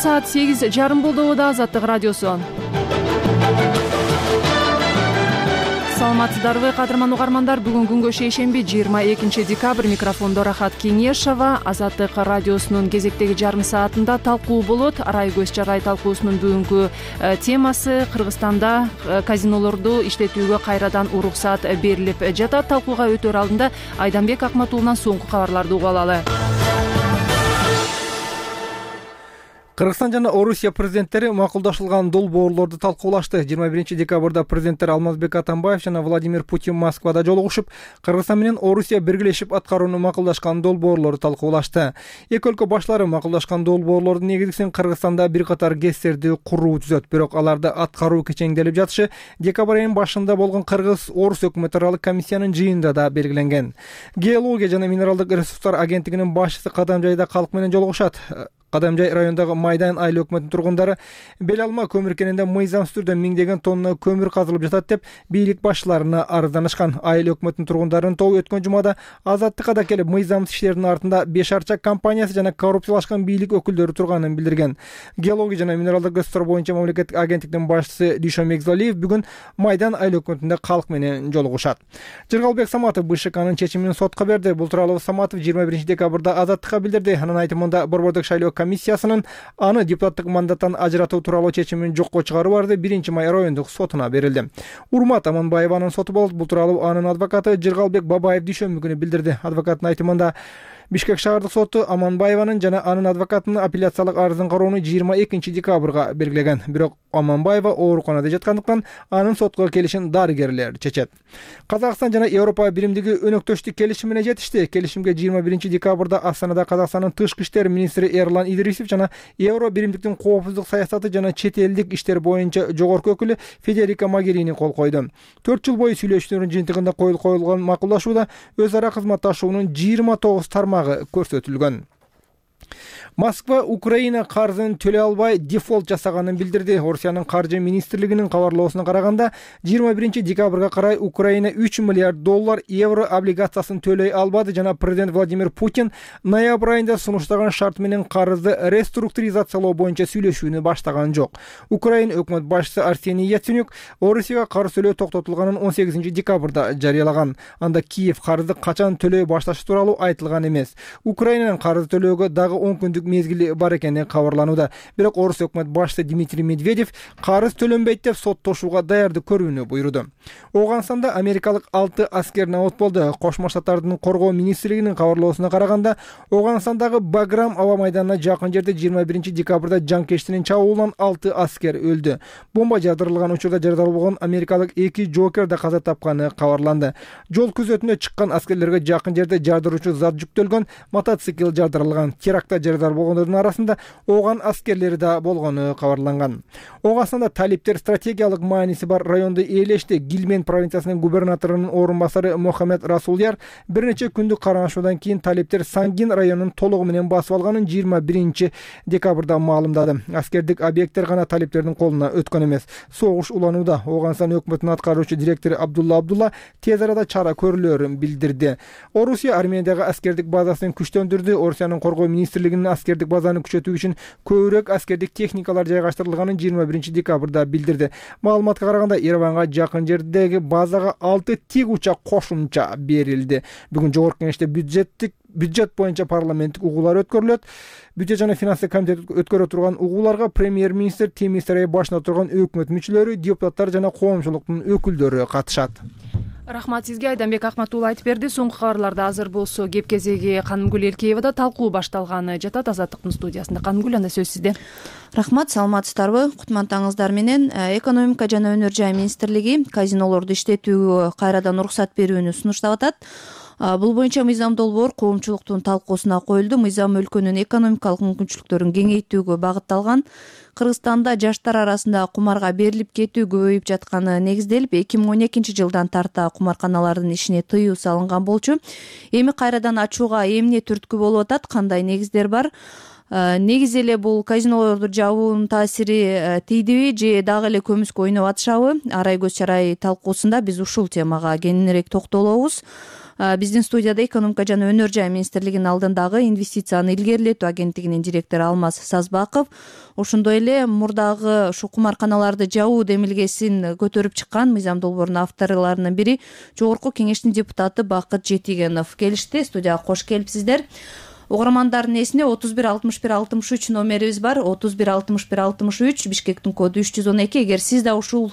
саат 8:30 болду. Азаттык радиосу. Саламатсыздарбы кадырман угармандар. Бүгүн күнгө шейшемби 22 декабрь. Микрофондо Рахат Кеңешова. Азаттык радиосунун кезектеги жарым саатында талкуу болот. Арай көз жарай талкуусунун бүгүнкү темасы Кыргызстанда казинолорду иштетүүгө кайрадан уруксат берилип жатат. Талкууга өтөр алдында Айданбек Акматуллунан соңку кабарларды угуп алалы. Кыргызстан жана Орусия президенттери макулдашылган долбоорлорду талкуулашты. 21 декабрда президенттер Алмазбек Атамбаев жана Владимир Путин Москвада жолугушуп, Кыргызстан менен Орусия биргелешип аткарууну макулдашкан долбоорлорду талкуулашты. Эки өлкө башлары макулдашкан долбоорлордун негизгисин Кыргызстанда бир катар ГЭСтерди куруу түзөт. Бирок аларды аткаруу кечеңделип жатышы декабрь айынын башында болгон Кыргыз-Орус өкмөт аралык комиссиянын жыйынында да белгиленген. Геология жана минералдык ресурстар агенттигинин башчысы Кадамжайда калк менен жолугушат. Кадамжай районундагы Майдан айыл өкмөтүнүн тургундары бел алма көмүр кенинде мыйзамсыз түрдө миңдеген тонна көмүр казылып жатат деп бийлик башчыларына арызданышкан. Айыл өкмөтүнүн тургундарынын тобу өткөн жумада Азаттыкка да келип, мыйзамсыз иштердин артында Беш Арча компаниясы жана коррупциялашкан бийлик өкүлдөрү турганын билдирген. Геология жана минералдык ресурстар боюнча мамлекеттик агенттиктин башчысы Дүйшө Мегзалиев бүгүн Майдан айыл өкмөтүндө калк менен жолугушат. Жыргалбек Саматов БШКнын чечимин сотко берди. Бул тууралуу Саматов 21 декабрда Азаттыкка билдирди. Анын айтымында борбордук шайлоо комиссиясынын аны депутаттык мандаттан ажыратуу тууралуу чечимин жокко чыгаруу барды 1-май райондук сотуна берилди. Урмат Аманбаеванын соту болот. Бул тууралуу анын адвокаты Жыргалбек Бабаев дүйшөмбү күнү билдирди. Адвокаттын айтымында Бишкек шаардык соту Аманбаеванын жана анын адвокатынын апелляциялык арызын кароону 22 декабрга белгилеген. Бирок Аманбаева ооруканада жаткандыктан анын сотко келишин дарыгерлер чечет. Казакстан жана Европа биримдиги өнөктөштүк келишимине жетишти. Келишимге 21 декабрда Астанада Казакстандын тышкы иштер министри Эрлан Идрисов жана Евро биримдиктин коопсуздук саясаты жана чет элдик иштер боюнча жогорку өкүлү Федерика Могерини кол койду. 4 жыл бою сүйлөшүүлөрдүн жыйынтыгында коюлган макулдашууда өз ара кызматташуунун 29 тармагы көрсөтүлгөн. Москва Украина карзын төлөй албай дефолт жасаганын билдирди. Орусиянын каржы министрлигинин кабарлоосуна караганда 21 декабрга карай Украина 3 миллиард доллар евро облигациясын төлөй албады жана президент Владимир Путин ноябрь айында сунуштаган шарт менен карызды реструктуризациялоо боюнча сүйлөшүүнү баштаган жок. Украина өкмөт башчысы Арсений Яценюк Орусияга карыз төлөө токтотулганын 18 декабрда жарыялаган. Анда Киев карызды качан төлөй башташы тууралуу айтылган эмес. Украинанын карыз төлөөгө дагы 10 күндүк мезгили бар экени кабарланууда. Бирок Орус өкмөт башчысы Дмитрий Медведев карыз төлөнбөйт деп соттошууга даярдык көрүүнү буйруду. Оганстанда америкалык 6 аскер набат болду. Кошмо Штаттардын коргоо министрлигинин кабарлоосуна караганда, Оганстандагы Баграм аба майданына жакын жерде 21 декабрда жанкечтинин чабуулунан 6 аскер өлдү. Бомба жардырылган учурда жараланган америкалык 2 жокер да каза тапканы кабарланды. Жол күзөтүнө чыккан аскерлерге жакын жерде жардыруучу зат жүктөлгөн мотоцикл жардырылган. Терактта жарадар болгондордун арасында Оган аскерлери да болгону кабарланган. Оганстанда талиптер стратегиялык мааниси бар районду ээлешти. Гилмен провинциясынын губернаторунун орун басары Мохаммед Расуляр бир нече күндүк каранышуудан кийин талиптер Сангин районун толугу менен басып алганын 21 декабрда маалымдады. Аскердик объекттер гана талиптердин колуна өткөн эмес. Согуш уланууда. Оганстан өкмөтүнүн аткаруучу директору Абдулла тез арада чара көрүлөрүн билдирди. Орусия Армениядагы аскердик базасын күчтөндүрдү. Орусиянын коргоо министрлигинин аскердик базаны күчөтүү үчүн көбүрөөк аскердик техникалар жайгаштырылганын 21 декабрда билдирди. Маалыматка караганда Ереванга жакын жердеги базага 6 тик учак кошумча берилди. Бүгүн жогорку кеңеште бюджет боюнча парламенттик угуулар өткөрүлөт. Бюджет жана финансы комитети өткөрө турган угууларга премьер-министр Темир Сарай башына турган өкмөт мүчөлөрү, депутаттар жана коомчулуктун өкүлдөрү катышат. Рахмат сизге. Айданбек Акматулла айтып берди. Соңку кабарларда азыр болсо кеп кезеги Канымгүл Элкеевада талкуу башталганы жатат. Азаттыктын студиясында. Канымгүл, анда сөз сизде. Рахмат, саламатсыздарбы? Кутмандтаңыздар менен. Экономика жана өнөр жай министрлиги казинолорду иштетүүгө кайрадан уруксат берүүнү сунуштап атат. Бул боюнча мыйзам долбоор коомчулуктун талкуусуна коюлду. Мыйзам өлкөнүн экономикалык мүмкүнчүлүктөрүн кеңейтүүгө багытталган. Кыргызстанда жаштар арасында кумарга берилип кетүү көбөйүп жатканы негизделип, 2012 жылдан тарта кумарканалардын ишине тыюу салынган болчу. Эми кайрадан ачууга эмне түрткү болуп атат, кандай негиздер бар? негизи эле бул казинолорду жабуунун таасири тийдиби же дагы эле көмүскө ойноп атышабы? Арай көз чарай талкуусунда биз ушул темага кеңирээк токтолобуз. Биздин студияда экономика жана өнөр жай министрлигинин алдындагы инвестицияны илгерилетүү агенттигинин директору Алмаз Сазбаков, ошондой эле мурдагы ушу кумарканаларды жабуу демилгесин көтөрүп чыккан мыйзам долбоорунун авторлорунун бири Жогорку Кеңештин депутаты Бакыт Жетигенов келишти. Студияга кош келипсиздер. Угармандардын эсине 31 61 63 номерибиз бар. 31 61 63 Бишкектин коду 312. Эгер сиз да ушул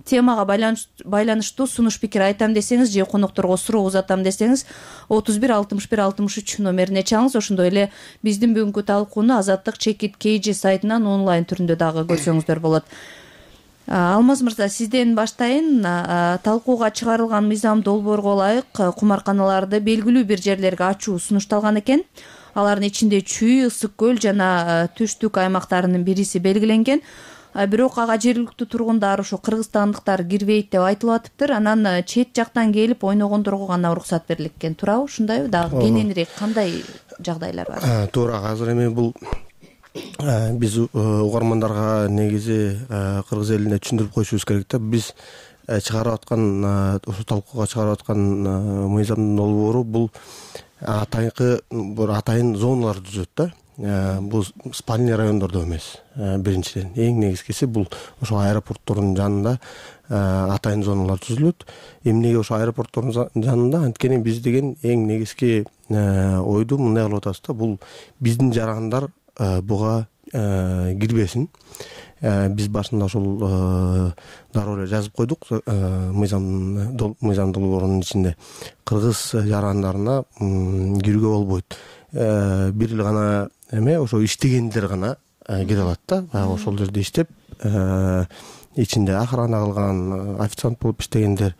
темага байланыштуу сунуш пикир айтам десеңиз же конокторго суроо узатам десеңиз 31 61 63 номерине чалыңыз. Ошондой эле биздин бүгүнкү талкууну Азаттык Чекит KG сайтынан онлайн түрүндө дагы көрсөңүздөр болот. Алмаз мырза, сизден баштайын. Талкууга чыгарылган мыйзам долбоорго ылайык кумарканаларды белгилүү бир жерлерге ачуу сунушталган экен. Алардын ичинде Чүй, Ысык көл жана Түштүк аймактарынын бириси белгиленген. Бирок ага жергиликтүү тургундар, ошо кыргызстандыктар кирбейт деп айтылып атыптыр. Анан чет жактан келип ойногондорго гана уруксат берилет экен. Туурабы? Ушундайбы? Дагы кененирээк кандай жагдайлар бар? Туура. Азыр эми бул биз угармандарга негизи кыргыз элине түшүндүрүп коюшубуз керек да. Биз чыгарып аткан, ошо талкууга чыгарып аткан мыйзамдын долбоору бул атайын зоналар түзөт да. Бул спальный райондордо эмес. Биринчиден эң негизгиси бул ошо аэропорттордун жанында атайын зоналар түзүлөт. Эмнеге ошо аэропорттордун жанында? Анткени биз деген эң негизги ойду мындай кылып атабыз да. Бул биздин жарандар буга кирбесин. Биз башында ошол дароо эле жазып койдук мыйзам долбоорунун ичинде. Кыргыз жарандарына кирүүгө болбойт. Бир эле гана ошо иштегендер гана кире алат да. Ошол жерде иштеп, ичинде охрана кылган, официант болуп иштегендер,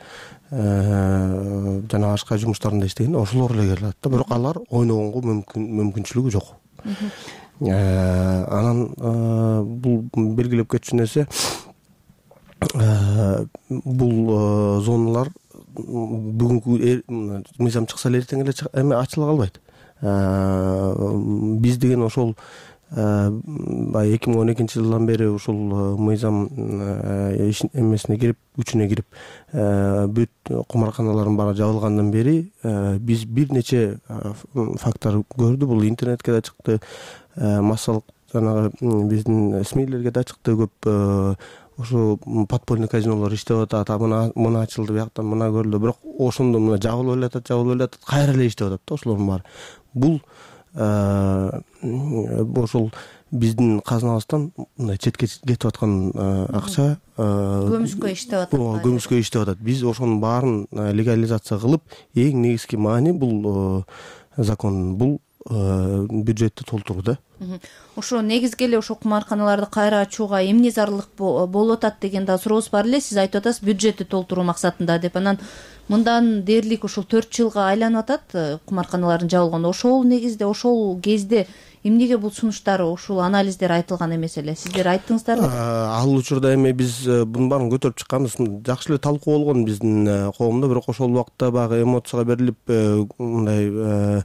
жана башка жумуштарында иштеген ошолор эле кире алат да. Бирок алар ойногонго мүмкүнчүлүгү жок. Анан бул белгилеп кетчү нерсе, бул зоналар бүгүнкү мыйзам чыкса эле эртең эле ачыла калбайт. Биз деген ошол 2012-жылдан бери ушул мыйзам эмесине кирип, күчүнө кирип, бүт кумарканалардын баары жабылгандан бери биз бир нече факттар көрдү. Бул интернетке да чыкты, массалык жанагы биздин СМИлерге да чыкты. Көп ошо подпольный казинолор иштеп атат, мына ачылды, бияктан мына көрүлдү. Бирок ошондо мына жабылып эле атат, кайра эле иштеп атат да ошолордун баары. Бул ошол биздин казнабыздан мындай четке кетип аткан акча көмүскө иштеп атат. Биз ошонун баарын легализация кылып, эң негизги маани бул закон, бул бюджетти толтуруу да. Ошо негизги эле ошо кумарканаларды кайра ачууга эмне зарылык болуп атат деген да сурообуз бар эле. Сиз айтып атасыз бюджетти толтуруу максатында деп. Анан мындан дээрлик ошол 4 жылга айланып атат кумарканалардын жабылганы. Ошол негизде, ошол кезде эмнеге бул сунуштар, ушул анализдер айтылган эмес эле? Сиздер айттыңыздарбы? Ал учурда эми биз бунун баарын көтөрүп чыкканбыз. Жакшы эле талкуу болгон биздин коомдо, бирок ошол убакта баягы эмоцияга берилип мындай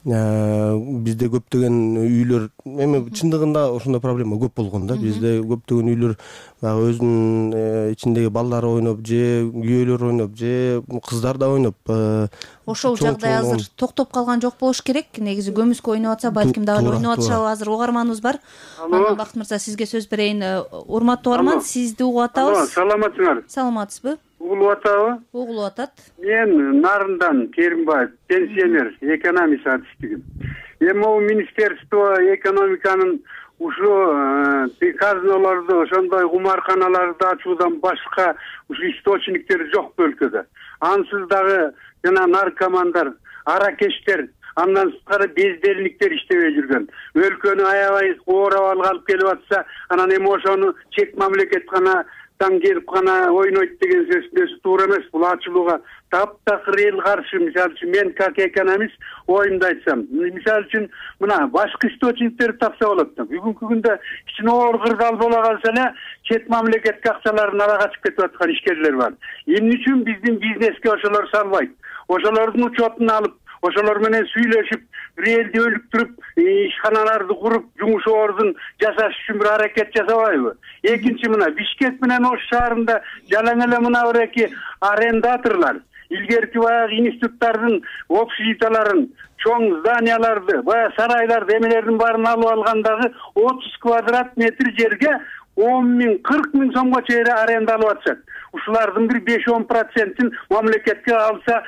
бизде көптөгөн үйлөр, эми чындыгында ошондой проблема көп болгон да. Бизде көптөгөн үйлөр баягы өзүнүн ичиндеги балдары ойноп, же күйөөлөр ойноп, же кыздар да ойноп. Ошол жагдай азыр токтоп калган жок болуш керек. Негизи көмүскө ойноп атса, балким дагы ойноп атышабы. Азыр угарманыбыз бар. Анан Бакыт мырза, сизге сөз берейин. Урматтуу угарман, сизди угуп атабыз. Саламатсыңар? Саламатсызбы? Угулуп атабы? Угулуп атат. Мен Нарындан Керимбаев, пенсионер, экономист адистигим. Эми могу министерство экономиканын ушу казинолорду, ошондой кумарканаларды ачуудан башка ушу источниктери жокпу өлкөдө. Ансыз дагы жана наркомандар, аракечтер, андан сырткары бездельниктер иштебей жүргөн. Өлкөнү аябай оорап алып келип атса, анан эми ошону чек мамлекет гана келип гана ойнойт деген сөзсү туура эмес. Бул ачылууга таптакыр эл каршы. Мисалы үчүн мен как экономист оюмду айтсам, мисалы үчүн мына башка источниктерди тапса болот да. Бүгүнкү күндө кичине оор кырдаал бола калса эле чет мамлекетке акчаларын ала качып кетип аткан ишкерлер бар. Эмне үчүн биздин бизнеске ошолор салбайт? Ошолордун учетун алып, ошолор менен сүйлөшүп, релди өлүктүрүп, ишканаларды куруп, жумуш ордун жасаш үчүн бир аракет жасабайбы? Экинчи, мына Бишкек менен Ош шаарында жалаң эле мына бир эки арендаторлор илгерки баягы институттардын общежитияларын, чоң зданияларды, баягы сарайларды, эмелердин баарын алып алгандагы 30 квадрат метр жерге 10 миң, 40 миң сомго чейин аренда алып атышат. Ушулардын бир 5-10% мамлекетке алса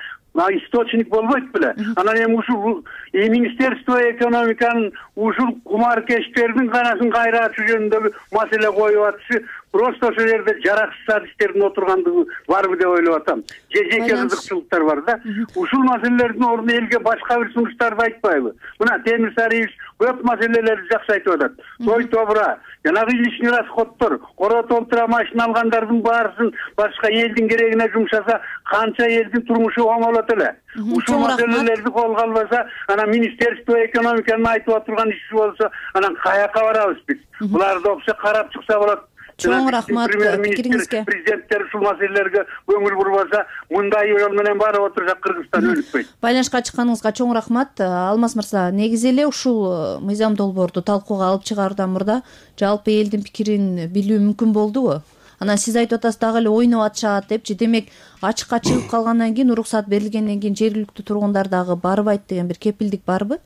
источник болбойт беле. Анан эми ушул Министерство экономиканын ушул кумаркечтердин канасын кайратуу жөнүндөгү маселе коюп атышы просто ошол жерде жараксыз адистердин отургандыгы барбы деп ойлоп атам. Жеке кызыкчылыктар бар да. Ушул маселелердин ордуна элге башка бир сунуштарды айтпайбы? Мына Темир Сариевич көп маселелерди жакшы айтып атат. Той тобура, жанагы лишний расходдор, коро толтура машина алгандардын баарысын башка элдин керегине жумшаса, канча элдин турмушу оңолот эле. Ушул маселелерди колго албаса, анан Министерство экономиканын айтып отурган иши болсо, анан каяка барабыз биз? Буларды опса карап чыкса болот. Чоң рахмат пикириңизге. Президенттер ушул маселелерге көңүл бурбаса, мындай жол менен барып отурса Кыргызстан өлүкпөйт. Байланышка чыкканыңызга чоң рахмат. Алмаз мырза, негизи эле ушул мыйзам долбоорду талкууга алып чыгаардан мурда жалпы элдин пикирин билүү мүмкүн болдубу? Анан сиз айтып атасыз, дагы эле ойноп атышат депчи. Демек, ачыкка чыгып калгандан кийин, уруксат берилгенден кийин жергиликтүү тургундар дагы барбайт деген бир кепилдик барбы?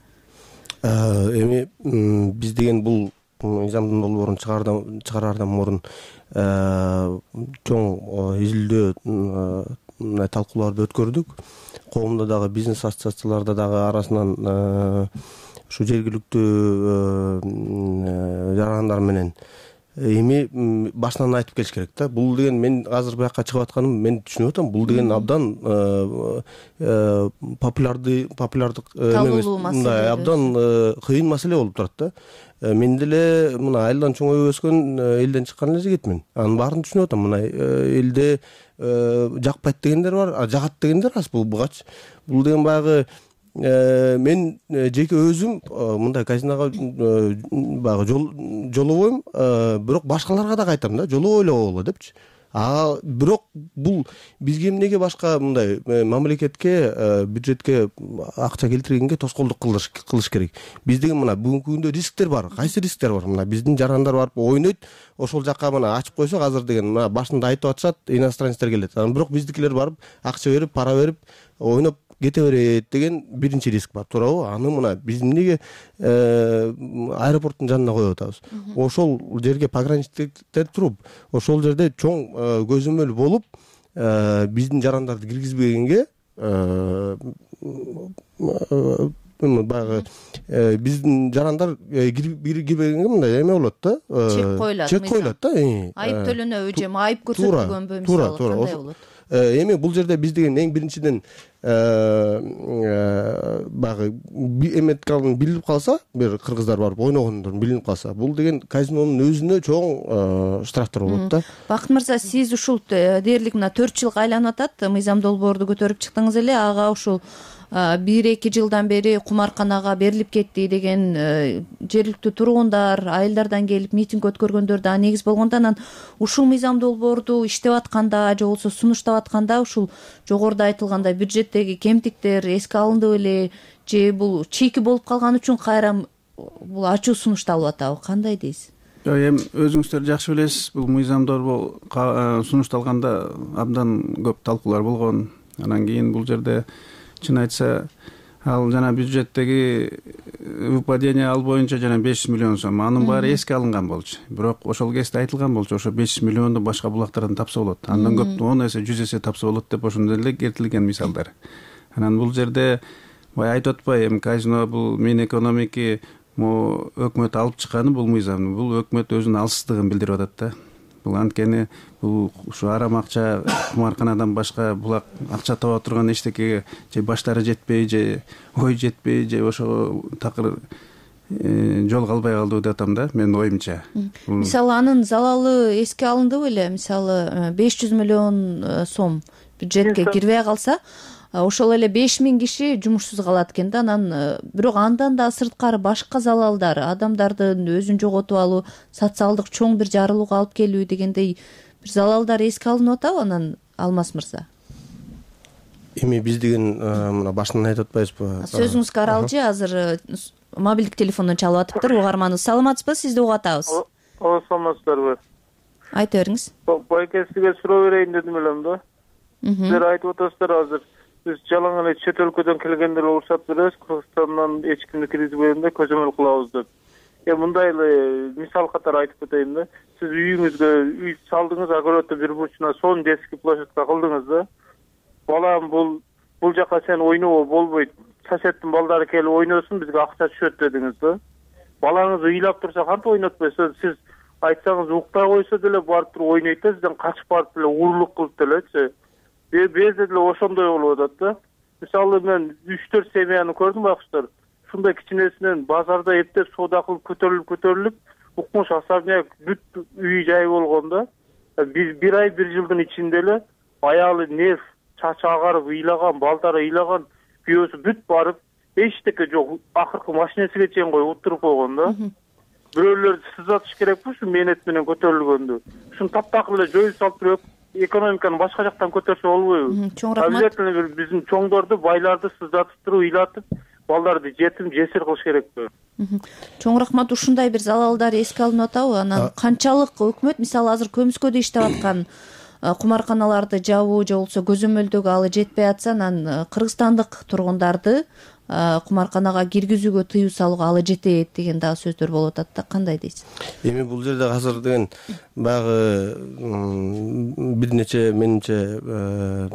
Эми биз деген бул мыйзамдын долбоорун чыгараардан мурун чоң изилдөө талкууларды өткөрдүк. Коомдо дагы бизнес ассоциацияларда дагы арасынан ушу жергиликтүү жарандар менен эми башынан айтып келиш керек да. Бул деген мен азыр буякка чыгып атканым мен түшүнүп атам. Бул деген абдан популярдык эмес, мындай абдан кыйын маселе болуп турат да. Мен деле мына айылдан чоңоюп өскөн элден чыккан эле жигитмин. Анын баарын түшүнүп атам. Мына элде жакпайт дегендер бар, жагат дегендер аз. Бул бугач. Бул деген баягы мен жеке өзүм мындай казиного баягы жолобойм, бирок башкаларга да айтам да, жолобой эле койгула депчи. Бирок бул бизге эмнеге башка мындай мамлекетке, бюджетке акча келтиргенге тоскоолдук кылыш керек? Биз деген мына бүгүнкү күндө рисктер бар. Кайсы рисктер бар? Мына биздин жарандар барып ойнойт, ошол жакка мына ачып койсок азыр деген мына башында айтып атышат, иностранецтер келет. Анан бирок биздикилер барып акча берип, пара берип, ойноп кете берет деген биринчи риск бар, туурабы? Аны мына биз эмнеге аэропорттун жанына коюп атабыз? Ошол жерге пограничниктер туруп, ошол жерде чоң көзөмөл болуп, биздин жарандарды киргизбегенге баягы биздин жарандар кирбегенге мындай эме болот да. Чек коюлат да. Айып төлөнөбү же айып көрсөтүлгөнбү, мисалы кандай болот? Эми бул жерде биз деген эң биринчиден баягы эметкалын билип калса, бир кыргыздар барып ойногондор билинип калса, бул деген казинонун өзүнө чоң штрафтар болот да. Бакыт мырза, сиз ушул дээрлик мына 4 жылга айланып атат, мыйзам долбоорду көтөрүп чыктыңыз эле, ага ушул 1-2 жылдан бери кумарканага берилип кетти деген жергиликтүү тургундар, айылдардан келип митинг өткөргөндөр да негиз болгондо, анан ушул мыйзам долбоорду иштеп атканда же болбосо сунуштап атканда ушул жогоруда айтылгандай бюджеттеги кемтиктер эске алынды беле, же бул чийки болуп калган үчүн кайра бул ачуу сунушталып атабы? Кандай дейсиз? Эми өзүңүздөр жакшы билесиз, бул мыйзам долбоор сунушталганда абдан көп талкуулар болгон. Анан кийин бул жерде чын айтса, ал жана бюджеттеги выпадение ал боюнча жана 500 миллион сом, анын баары эске алынган болчу. Бирок ошол кезде айтылган болчу, ошо 500 миллионду башка булактардан тапса болот. Андан көп 10 эсе, 100 эсе тапса болот деп ошондой эле келтирилген мисалдар. Анан бул жерде баягы айтып атпайбы, эми казино бул Минэкономики өкмөт алып чыкканы бул мыйзамды, бул өкмөт өзүнүн алсыздыгын билдирип атат да. Бул анткени бул ушу арам акча кумарканадан башка булак акча таба турган эчтекеге же баштары жетпей, же ой жетпей, же ошого такыр жол калбай калды деп атам да, менин оюмча. Мисалы анын залалы эске алынды беле? Мисалы 500 миллион сом бюджетке кирбей калса, ошол эле 5000 киши жумушсуз калат экен да. Анан бирок андан да сырткары башка залалдар, адамдардын өзүн жоготуп алуу, социалдык чоң бир жарылууга алып келүү дегендей бир залалдар эске алынып атабы анан, Алмаз мырза? эми биз деген мына башынан айтып атпайбызбы? Сөзүңүз каралчы, азыр мобилдик телефондон чалып атыптыр. Угарманыбыз, саламатсызбы? Сизди угуп атабыз. Саламатсыздарбы? Айта бериңиз. Байке, сизге суроо берейин дедим элем да. Сиздер айтып атасыздар, азыр биз жалаң эле чет өлкөдөн келгендер уруксат беребиз, Кыргызстандан эч кимди киргизбейбиз, көзөмөл кылабыз деп. Мындай эле мисал катары айтып кетейин да. Сиз үйүңүзгө үй салдыңыз, огороддун бир бурчуна сонун детский площадка кылдыңыз да. Балам, бул жака сен ойноо болбойт. Соседтин балдары келип ойносун, бизге акча түшөт дедиңиз да. Балаңыз ыйлап турса кантип ойнотпойсуз? Сиз айтсаңыз уктай койсо деле барып туруп ойнойт да, сизден качып барып эле урурлук кылып делечи. Безде деле ошондой болуп атат да. Мисалы мен 3-4 семьяны көрдүм байкуштар. Ушундай кичинесинен базарда эптеп соода кылып көтөрүлүп, укмуш особняк бүт үй жай болгон да. Бир ай, бир жылдын ичинде эле аялы нерв, чачы агарып ыйлаган, балдары ыйлаган, күйөөсү бүт барып, эчтеке жок, акыркы машинесиге чейин коюп утуруп койгон да. Бирөөлөрдү сызатыш керекпи ушу мээнет менен көтөрүлгөндү? Ушуну таптак эле жоюп салып туруп экономиканы башка жактан көтөрсө болбойбу? Чоң рахмат. Обязательно биздин чоңдорду, байларды сызатып туруп, ыйлатып, балдарды жетим, жесир кылыш керекпи? Чоң рахмат. Ушундай бир залалдар эске алынып атабы? Анан канчалык өкмөт, мисалы азыр көмүскөдө иштеп аткан кумарканаларды жабуу же болбосо көзөмөлдөгө алы жетпей атса, анан кыргызстандык тургундарды кумарканага киргизүүгө тыюу салууга алы жетет деген дагы сөздөр болуп атат да. Кандай дейсиз? Эми бул жерде азыр деген баягы бир нече менимче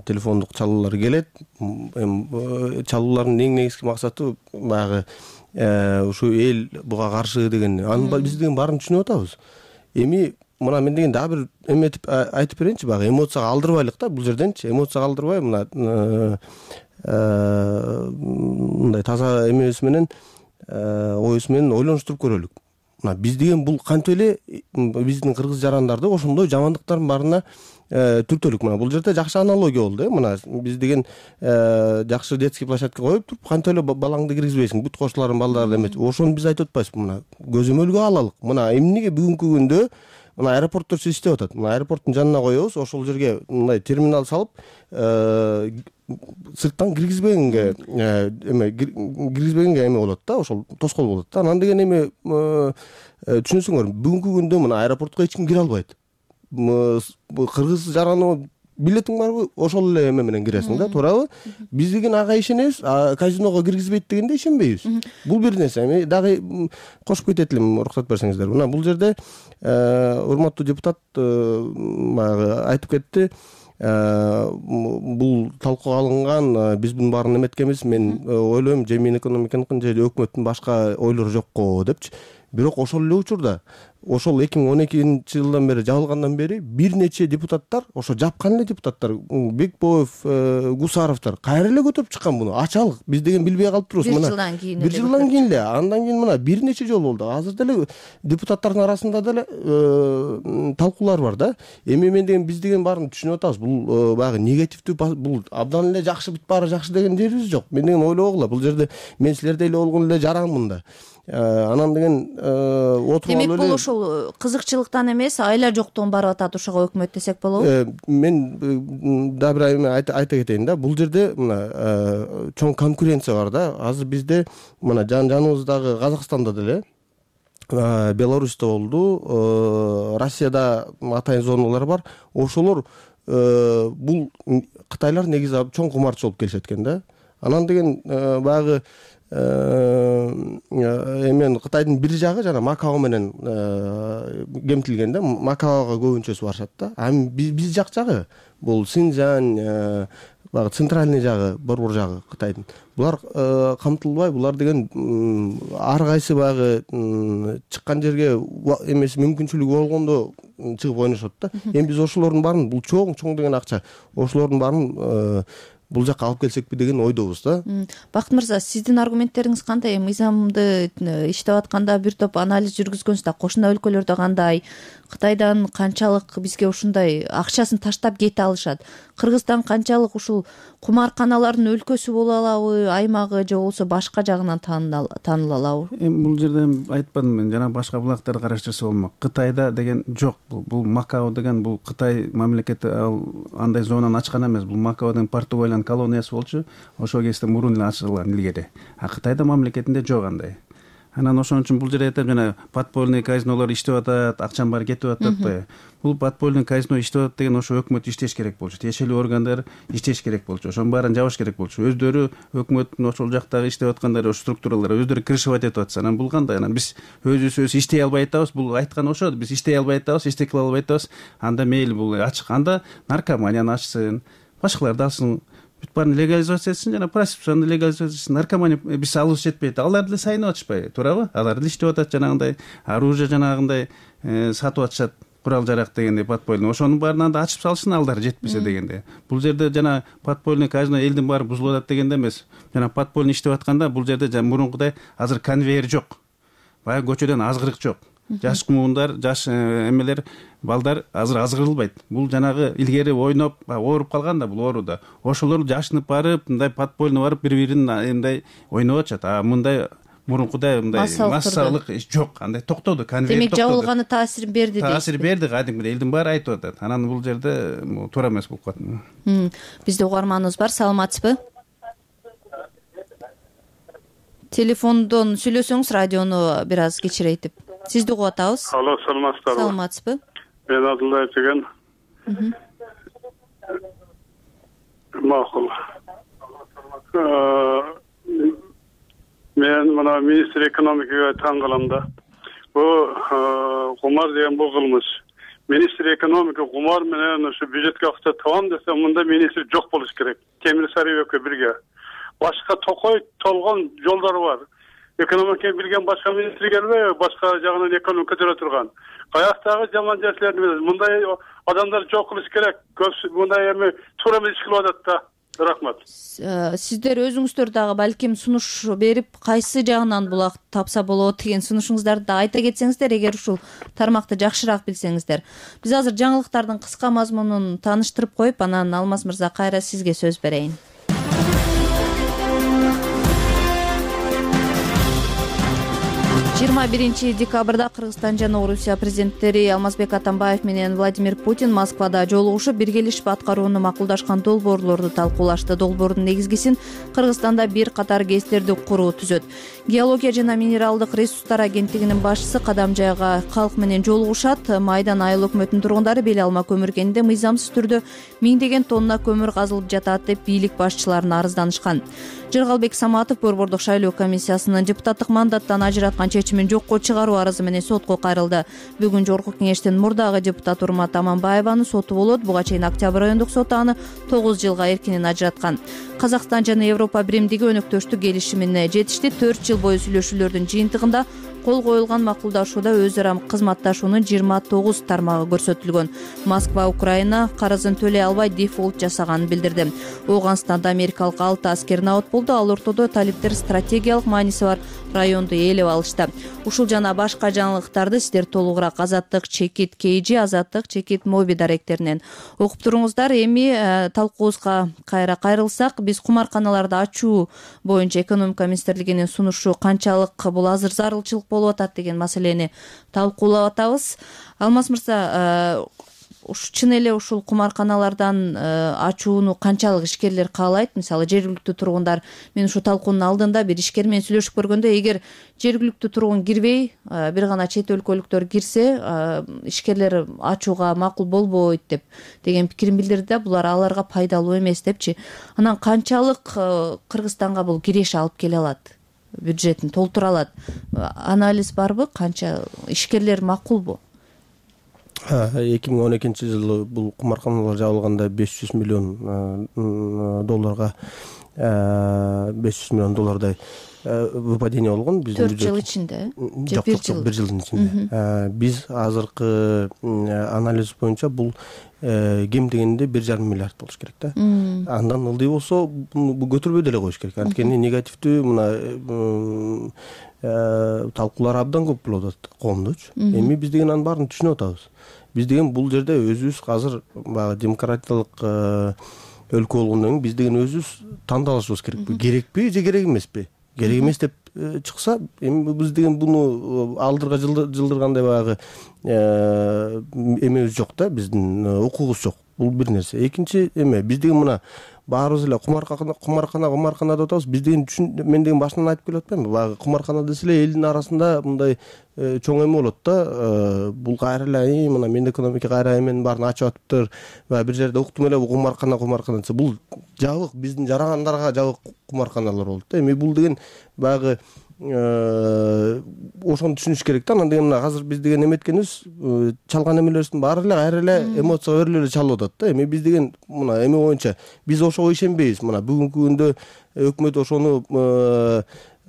телефондук чалуулар келет. Чалуулардын эң негизги максаты баягы ушу эл буга каршы деген. Аны биз деген баарын түшүнүп атабыз. Эми мына мен деген дагы бир эметип айтып берейинчи, баягы эмоцияга алдырбайлык да бул жерденчи. Эмоцияга алдырбай, мына мындай таза эмебиз менен, оюбуз менен ойлонуштуруп көрөлүк. Мына биз деген бул кантип эле биздин кыргыз жарандарды ошондой жамандыктардын баарына түртөлүк. Мына бул жерде жакшы аналогия болду. Мына биз деген жакшы детский площадка коюп туруп, кантип эле балаңды киргизбейсиң, бүт кошулардын балдары эметип. Ошону биз айтып атпайбызбы? Мына көзөмөлгө алалык. Мына эмнеге бүгүнкү күндө мына аэропорттор иштеп атат. Мына аэропорттун жанына коебуз, ошол жерге мындай терминал салып, сырттан киргизбегенге эме болот да, ошол тоскоол болот да. Анан деген эми түшүнсөңөр, бүгүнкү күндө мына аэропортко эч ким кире албайт. Кыргыз жараны билетиң барбы? Ошол эле эме менен киресиң да, туурабы? Биз деген ага ишенебиз, казиного киргизбейт дегенде ишенбейбиз. Бул бир нерсе. Эми дагы кошуп кетет элем, уруксат берсеңиздер. Мына бул жерде урматтуу депутат баягы айтып кетти. Бул талкууга алынган, биз бунун баарын эметкенбиз. Мен ойлойм, же мен экономиканыкын же өкмөттүн башка ойлору жокко депчи. Бирок ошол эле учурда, ошол 2012-жылдан бери жабылгандан бери бир нече депутаттар, ошо жапкан эле депутаттар, Бекбоев, Гусаровдор кайра эле көтөрүп чыккан буну. Ачалык. Биз деген билбей калып турубуз. Бир жылдан кийин. Бир жылдан кийин эле. Андан кийин мына бир нече жолу болду. Азыр деле депутаттардын арасында деле талкуулар бар да. Эми мен деген биз деген баарын түшүнүп атабыз. Бул баягы негативдүү, бул абдан эле жакшы, бүт баары жакшы деген жерибиз жок. Мен деген ойлогула, бул жерде мен силердей эле болгон эле жаранмын да. Анан деген отуруп алып эле. Демек бул ошол кызыкчылыктан эмес, айла жоктон барып атат ушуга өкмөт десек болобу? Мен да бир эме айта кетейин да. Бул жерде мына чоң конкуренция бар да. Азыр бизде мына жаныбыздагы Казакстанда деле, Беларусьта болду, Россияда атайын зоналар бар. Ошолор бул Кытайлар негизи чоң кумарчы болуп келишет экен да. Анан деген баягы эмен Кытайдын бир жагы жана Макао менен кемтилген да. Макаого көбүнчөсү барышат да. Эми биз жак жагы бул Синьцзянь, баягы центральный жагы, борбор жагы Кытайдын. Булар камтылбай, булар деген ар кайсы баягы чыккан жерге эмеси мүмкүнчүлүгү болгондо чыгып ойношот да. Эми биз ошолордун баарын, бул чоң деген акча, ошолордун баарын бул жакка алып келсекпи деген ойдобуз да. Бакыт мырза, сиздин аргументтериңиз кандай? Мыйзамды иштеп атканда бир топ анализ жүргүзгөнсүз да, кошуна өлкөлөрдө кандай, Кытайдан канчалык бизге ушундай акчасын таштап кете алышат? Кыргызстан канчалык ушул кумарканалардын өлкөсү боло алабы, аймагы же болбосо башка жагынан тааныла алабы? Бул жерде айтпадым мен, жана башка булактарды караштырса болмок. Кытайда деген жок. Бул Макао деген бул Кытай мамлекети андай зонаны ачкан эмес. Бул Макао деген Португалиянын колониясы болчу. Ошол кезде мурун эле ачылган илгери. А Кытайда мамлекетинде жок андай. Анан ошон үчүн бул жерде айтам, жана подпольный казинолор иштеп атат, акчанын баары кетип атат атпайбы? Бул подпольный казино иштеп атат деген ошо өкмөт иштеш керек болчу, тиешелүү органдар иштеш керек болчу, ошонун баарын жабыш керек болчу. Өздөрү өкмөттүн ошол жактагы иштеп аткандар, ошо структуралар өздөрү крышевать этип атса, анан бул кандай? Анан биз өзүбүз иштей албай атабыз, бул айткан ошо, биз иштей албай атабыз, иштей кыла албай атабыз. Анда мейли бул ачык, анда наркоманияны ачсын, башкаларды алсын. Бүт баарын легализация этсин, жана проституцияны легализация этсин. Наркомания биз алыбыз жетпейт. Алар деле сайынып атышпайбы, туурабы? Алар деле иштеп атат, жанагындай оружие жанагындай сатып атышат, курал жарак дегенде подпольный. Ошонун баарын анда ачып салышсын, алдар жетпесе дегенде. Бул жерде жана подпольный казино элдин баары бузулуп атат дегенде эмес. Жана подпольный иштеп атканда бул жерде жана мурункудай азыр конвейер жок. Баягы көчөдөн азгырык жок. Жаш муундар, жаш эмелер, балдар азыр азгырылбайт. Бул жанагы илгери ойноп, ооруп калган да бул ооруда. Ошолор жашынып барып, мындай подпольно барып бири-бирин мындай ойноп атышат. А мындай мурункудай мындай массалык жок. Андай токтоду, конвейер токтоду. Демек жабылганы таасир берди дейсиз. Таасир берди, кадимгидей элдин баары айтып атат. Анан бул жерде туура эмес болуп калат. Бизде угарманыбыз бар, саламатсызбы? Телефондон сүйлөсөңүз радиону бир аз кичирейтип. Сизди угуп атабыз. Алло, саламатсыздарбы? Саламатсызбы? Мен Абдуллаев деген. Макул. Мен мына министр экономикага таң калам да. Бул кумар деген бул кылмыш. Министр экономика кумар менен ушу бюджетке акча табам десе, мында министр жок болуш керек. Темир Сарыевке бирге. Башка токой толгон жолдор бар. Экономика билген башка министр келбейби, башка жагынан экономика көтөрө турган. Каяктагы жаман нерселерди эмес, мындай адамдар жок кылыш керек. Мындай эми туура эмес иш кылып атат да. Рахмат. Сиздер өзүңүздөр дагы балким сунуш берип, кайсы жагынан булак тапса болот деген сунушуңуздарды да айта кетсеңиздер, эгер ушул тармакты жакшыраак билсеңиздер. Биз азыр жаңылыктардын кыска мазмунун тааныштырып коюп, анан Алмаз мырза кайра сизге сөз берейин. 21 декабрда Кыргызстан жана Орусия президенттери Алмазбек Атамбаев менен Владимир Путин Москвада жолугушуп, биргелешип аткарууну макулдашкан долбоорлорду талкуулашты. Долбоордун негизгисин Кыргызстанда бир катар ГЭСтерди куруу түзөт. Геология жана минералдык ресурстар агенттигинин башчысы Кадамжайга калк менен жолугушат. Майдан айыл өкмөтүнүн тургундары Бел Алма көмүр кенинде мыйзамсыз түрдө 1000 тонна көмүр казылып жатат деп бийлик башчыларына арызданышкан. Жыргалбек Саматов борбордук шайлоо комиссиясынын депутаттык мандаттан ажыраткан чечимин жокко чыгаруу арызы менен сотко кайрылды. Бүгүн Жогорку кеңештин мурдагы депутаты Урмат Аманбаеванын соту болот. Буга чейин Октябрь райондук соту аны 9 жылга эркинен ажыраткан. Казакстан жана Европа биримдиги өнөктөштүк келишимине жетишти. 4 жыл бою сүйлөшүүлөрдүн жыйынтыгында кол коюлган макулдашууда өз ара кызматташуунун 29 тармагы көрсөтүлгөн. Москва Украина карызын төлөй албай дефолт жасаганын билдирди. Ооганстанда америкалык 6 аскер набат болду. Ал ортодо талиптер стратегиялык мааниси бар районду ээлеп алышты. Ушул жана башка жаңылыктарды сиздер толугураак Азаттык Чекит KG, Азаттык Чекит Моби даректеринен окуп туруңуздар. Эми талкуубузга кайра кайрылсак, биз кумарканаларды ачуу боюнча экономика министрлигинин сунушу канчалык бул азыр зарылчылык болуп атат деген маселени талкуулап атабыз. Алмаз мырза, чын эле ушул кумарканалардан ачууну канчалык ишкерлер каалайт? Мисалы, жергиликтүү тургундар, мен ушу талкуунун алдында бир ишкер менен сүйлөшүп көргөндө, эгер жергиликтүү тургун кирбей, бир гана чет өлкөлүктөр кирсе, ишкерлер ачууга макул болбойт деген пикирин билдирди да, булар аларга пайдалуу эмес депчи. Анан канчалык Кыргызстанга бул киреш алып келе алат? Бюджетин толтура алат? Анализ барбы? Канча ишкерлер макулбу? 2012-жылы бул кумарканалар жабылганда 500 миллион долларга 500 миллион доллардай выпадение болгон биздин 4 жыл ичинде. Жок, бир жылдын ичинде. Биз азыркы анализ боюнча бул кем дегенде 1,5 миллиард болуш керек да. Андан ылдый болсо бул көтөрбөй деле коюш керек. Анткени негативдүү мына талкуулар абдан көп болуп атат коомдочу. Эми биз деген анын баарын түшүнүп атабыз. Биз деген бул жерде өзүбүз азыр баягы демократиялык өлкө болгондон кийин биз деген өзүбүз тандалышыбыз керекпи, керекпи же керек эмеспи? Керек эмес деп чыкса, эми биз деген буну алдырга жылдыргандай баягы эмебиз жок да, биздин укугубуз жок. Бул бир нерсе. Экинчи эме, биз деген мына баарыбыз эле кумаркана деп атабыз. Биз деген мен деген башынан айтып келип атпаймынбы? Баягы кумаркана десе эле элдин арасында мындай чоң эме болот да. Бул кайра эле мына мен экономика кайра эменин баарын ачып атыптыр. Баягы бир жерде уктум эле, бул кумаркана десе, бул жабык, биздин жарагандарга жабык кумарканалар болот да. Эми бул деген баягы ошону түшүнүш керек да. Анан деген мына азыр биз деген эметкенибиз, чалган эмелерибиздин баары эле кайра эле эмоцияга берилип эле чалып атат да. Эми биз деген мына эме боюнча биз ошого ишенбейбиз. Мына бүгүнкү күндө өкмөт ошону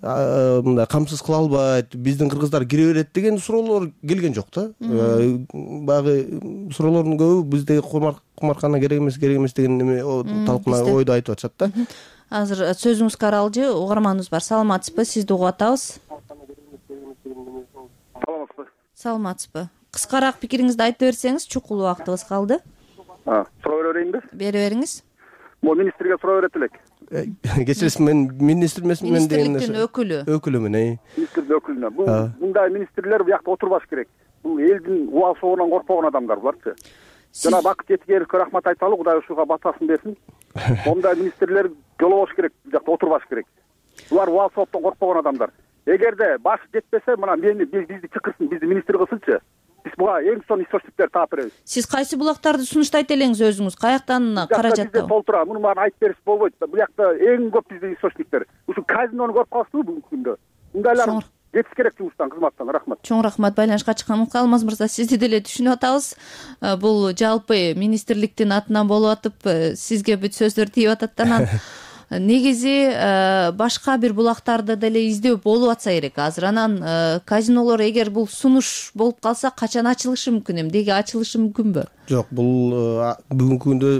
мындай камсыз кыла албайт, биздин кыргыздар кире берет деген суроолор келген жок да. Баягы суроолордун көбү биздеги кумаркана керек эмес деген эме талкууна ойду айтып атышат да. Азыр сөзүңүзгө аралжы угарманыбыз бар. Саламатсызбы? Сизди угуп атабыз. Саламатсызбы? Кыскараак пикириңизди айтып берсеңиз, чукул убактыбыз калды. Суроо берейинби? Бере бериңиз. Могу министрге суроо берет элек. Кечиресиз, мен министр эмесмин, мен деген министрликтин өкүлүмүн. Министрликтин өкүлүнө. Бул мындай министрлер буякта отурбаш керек. Бул элдин убал соогунан коркпогон адамдар буларчы. Жана Бакыт Жетигеровге рахмат айталы, Кудай ушуга батасын берсин. Мондай министрлер жолобош керек, буякта отурбаш керек. Булар убал сооптон коркпогон адамдар. Эгерде башы жетпесе, мына бизди чакырсын, бизди министр кылсынчы. Биз буга эң сонун источниктер таап беребиз. Сиз кайсы булактарды сунуштайт элеңиз өзүңүз? Каяктан каражат табып? Толтура, муну баарын айтып берип болбойт. Буякта эң көп биздин источниктер. Ушу казинону көрүп каласызбы бүгүнкү күндө? Мындайлар кетиш керек жумуштан, кызматтан. Рахмат. Чоң рахмат. Байланышка чыкканыңызга Алмаз мырза, сизди деле түшүнүп атабыз. Бул жалпы министрликтин атынан болуп атып, сизге бүт сөздөр тийип атат да. Анан негизи башка бир булактарды деле издөө болуп атса керек азыр. Анан казинолор эгер бул сунуш болуп калса, качан ачылышы мүмкүн? Эмнеге ачылышы мүмкүнбү? Жок, бул бүгүнкү күндө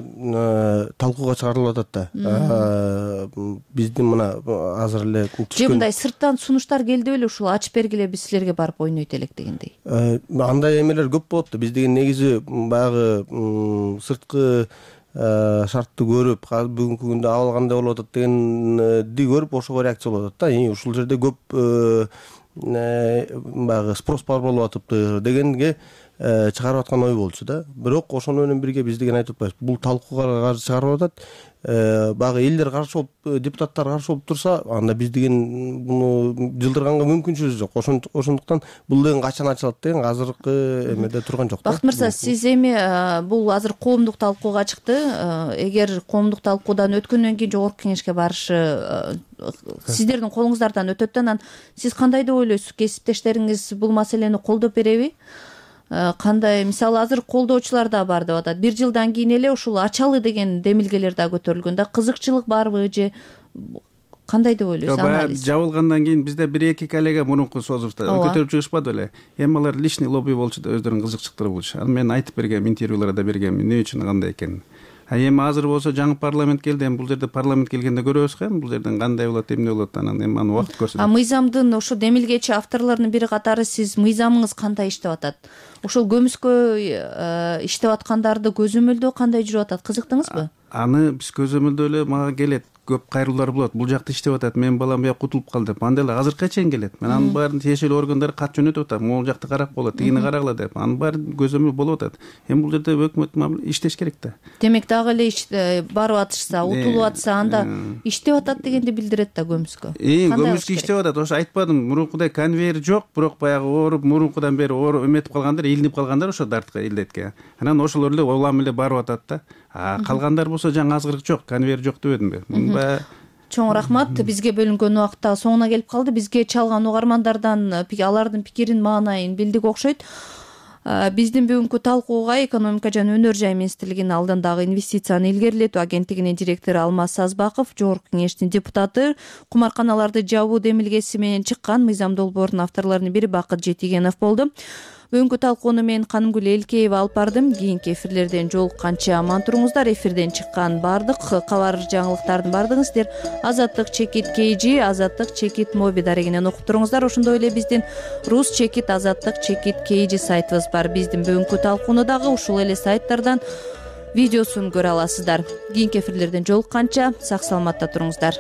талкууга чыгарылып атат да. Биздин мына азыр эле же мындай сырттан сунуштар келди беле, ушул ачып бергиле, биз силерге барып ойнойт элек дегендей. Андай эмелер көп болот да. Биз деген негизи баягы сырткы шартты көрүп, бүгүнкү күндө абал кандай болуп атат дегенди көрүп, ошого реакция болуп атат да. Ушул жерде көп баягы спрос бар болуп атыптыр дегенге чыгарып аткан ой болчу да. Бирок ошону менен бирге биз деген айтып атпайбыз. Бул талкууга каршы чыгарып атат. Баягы элдер каршы болуп, депутаттар каршы болуп турса, анда биз деген буну жылдырганга мүмкүнчүлүгүбүз жок. Ошондуктан бул деген качан ачылат деген азыркы эмеде турган жок да. Бакыт мырза, сиз эми бул азыр коомдук талкууга чыкты. Эгер коомдук талкуудан өткөндөн кийин жогорку кеңешке барышы сиздердин колуңуздардан өтөт да. Анан сиз кандай деп ойлойсуз? Кесиптештериңиз бул маселени колдоп береби? Кандай, мисалы азыр колдоочулар да бар деп атат. 1 жылдан кийин эле ушул ачалы деген демилгелер да көтөрүлгөн да. Кызыкчылык барбы же кандай деп ойлойсуз? Анализ жабылгандан кийин бизде 1-2 коллега мурунку созурда көтөрүп чыгышпады беле. Эми алар лишний лобби болчу да, өздөрүнүн кызыкчылыктары болчу. Аны мен айтып бергем, интервьюларда бергем, эмне үчүн кандай экенин. Эми азыр болсо жаңы парламент келди. Эми бул жерде парламент келгенде көрөбүз го, бул жерден кандай болот, эмне болот, анан эми аны убакыт көрсөтөт. Мыйзамдын ошо демилгечи авторлорунун бири катары сиз мыйзамыңыз кандай иштеп атат? Ошол көмүскө иштеп аткандарды көзөмөлдөө кандай жүрүп атат? Кызыктыңызбы? Аны биз көзөмөлдөө эле мага келет. Көп кайрылуулар болот. Бул жакта иштеп атат, менин балам буяк утулуп калды деп. Анда эле азыркыга чейин келет. Мен анын баарын тиешелүү органдар кат жөнөтүп атам. Могул жакта карап болот, тигини карагыла деп. Анын баары көзөмөл болуп атат. Эми бул жерде өкмөт иштеш керек да. Демек дагы эле барып атышса, утулуп атса, анда иштеп атат дегенди билдирет да көмүскө. Көмүскө иштеп атат. Ошо айтпадым, мурункудай конвейер жок, бирок баягы ооруп, мурункудан бери ооруп эметип калгандар, илинип калгандар ошо дартка, илдетке. Анан ошолор эле улам эле барып атат да. Калгандар болсо жаңы азгырык жок, конвейер жок дебедимби? Мунун Чоң рахмат. Бизге бөлүнгөн убакыт дагы соңуна келип калды. Бизге чалган угармандардан алардын пикирин, маанайын билдик окшойт. Биздин бүгүнкү талкууга экономика жана өнөр жай министрлигинин алдындагы инвестицияны илгерилетүү агенттигинин директору Алмаз Сазбаков, жогорку кеңештин депутаты, кумарканаларды жабуу демилгеси менен чыккан мыйзам долбоорунун авторлорунун бири Бакыт Жетигенов болду. Бүгүнкү талкууну мен Канымгүл Элкеева алып бардым. Кийинки эфирлерден жолукканча аман туруңуздар. Эфирден чыккан баардык кабар жаңылыктардын баардыгын сиздер Азаттык Чекит KG, Азаттык Чекит Моби дарегинен окуп туруңуздар. Ошондой эле биздин Рус Чекит, Азаттык Чекит KG сайтыбыз бар. Биздин бүгүнкү талкууну дагы ушул эле сайттардан видеосун көрө аласыздар. Кийинки эфирлерден жолукканча сак саламатта туруңуздар.